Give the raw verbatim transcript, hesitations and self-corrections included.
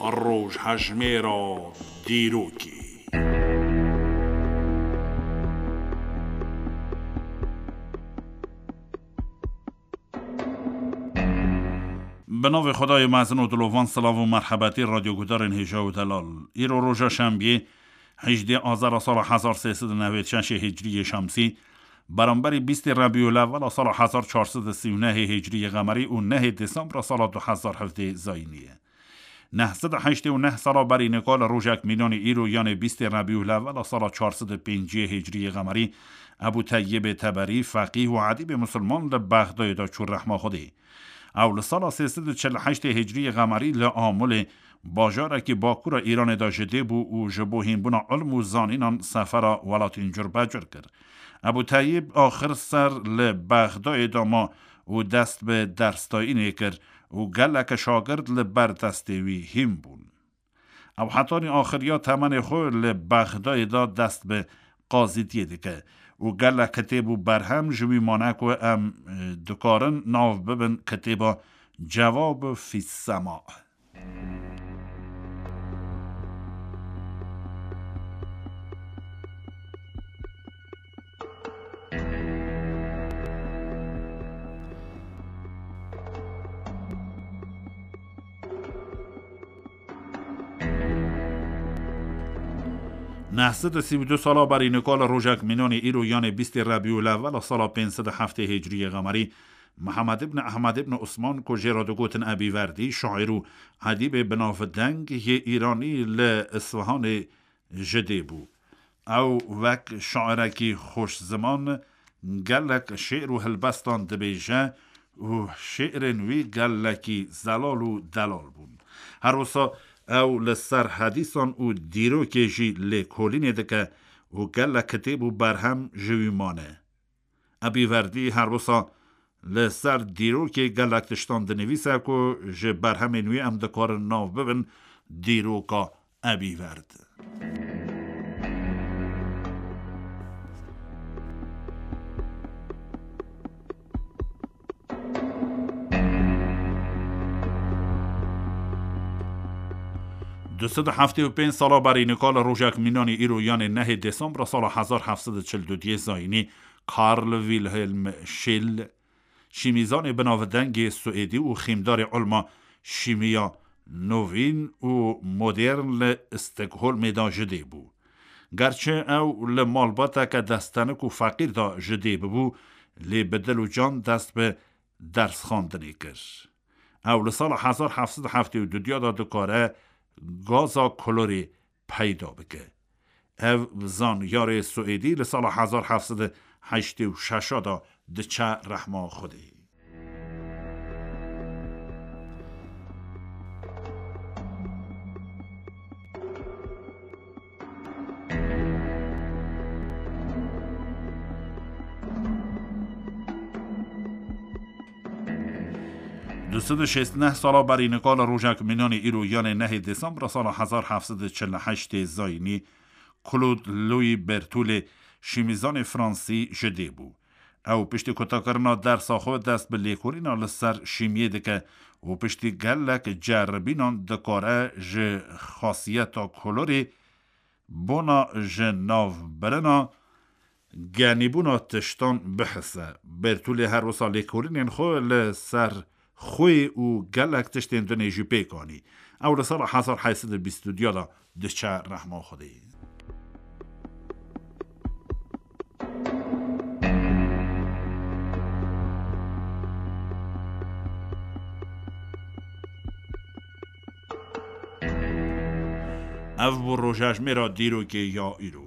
Rojhejmêra dîrokê. Bi navê Xwedayê mezin û dilovan, silav û merhebetî radyogudarên hêja û delal. Îro roja şembiyê, hejdê azara sala hezar sê sed û newêd şeşê hicriyê şemsî, beramberî bîstê Rebîulewwela sala hezar çar sed û sî û nehê hicriyê qemerî û nehê Desembra sala du hezar hevdê zayînî ye. Neh sed û heştê û neh sala berî nika li rojek mînanî îro, yanê bîstê Rebîulewwela sala çar sed û pêncî hicriyê qemerî, Ebû Teyyibê Teberî, feqîh û edîbê misilman li Bexdayê de çû rehma Xwedê. Ew li sala sê sed û çil û heştê hicriyê qemerî li Amûlê, bajarekî bakura Îranê de ji dê bû û ji bo hînbûna ilm û zanînan sefera welatên curbecur kir. Ebû Teyyib axir ser li Bexdayê de ma û dest bi dersdayînê kir û gelek şagird li ber destê wî hîn bûn. Ew hetanî axiriya temenê xwe li Bexdayê de dest bi qazîtiyê dike û gelek kitêb û berhem ji wî mane ku em, e, dikarin nav bibin kitêba Cevab fî Sema. Neh sed û sî û du sala berî nika li rojek mînanî îro, yanê bîstê Rebîulewwela sala pênc sed û heftê hicriyê qemerî, Mihemed ibn Ehmed ibn Usman, ku jê re digotin Ebî Verdî, şaîr û edîbê binavdeng yê Îranî, li Isfihanê ji dê bû. Ew wek şairekî xweşziman gelek şi'r û helbestan dibêje û şi'rên wî gelekî zelal û delal bûn. Her wisa ew li ser hedîsan û dîrokê jî lêkolînê dike û gelek kitêb û berhem ji wî mane. Ebî Verdî her wisa li ser dîrokê gelek tiştan dinivîse ku ji berhemên wî em dikarin nav bibin dîroka Ebî Verd. Du sed û heftê û pênc sala berî nika li rojek mînanî îro, yanê nehê Desembra sala hezar heft sed û çil û duyê zayînî, Karl Wilhelm Scheel, şîmîzanê binavdengê Swêdî û xîmdarê ilma şîmiya novîn û modern li Stockholmê de ji dê bû. Gerçi ew li malbateke destenik û feqîr de ji dê bibû, lê bi dil û can dest bi dersxwendinê kir. Ew li sala hezar heft sed û heftê û du de dikare gaza klorê peyda bike. Ev zanyarê Swêdî li sala hezar heft sed û heştê û şeş de diçe rehma Xwedê. Du sed û şêst neh sala berî nika li rojek mînanî îro, yanê nehê Desembra sala hezar heft sed û çil û heştê zayînî, Claude Louis Bertholle, şîmîzanê fransî, ji dê bû. Ew piştî kutakirina dersa xwe dest bi lêkolîna li ser şîmiyê dike û piştî gelek ceribînan dikare ji xasiyeta kolorê, bona ji nav birina, genîbûna tiştan bihise. Bertulê her wisa lêkolînên xwe li ser xwê û gelek tiştên dinê jî pêk anî. Ew li sala hezar heyt sed û bîst û du de diçe rehma Xwedê. Ev bû rojejmêra dîrokê ya îro.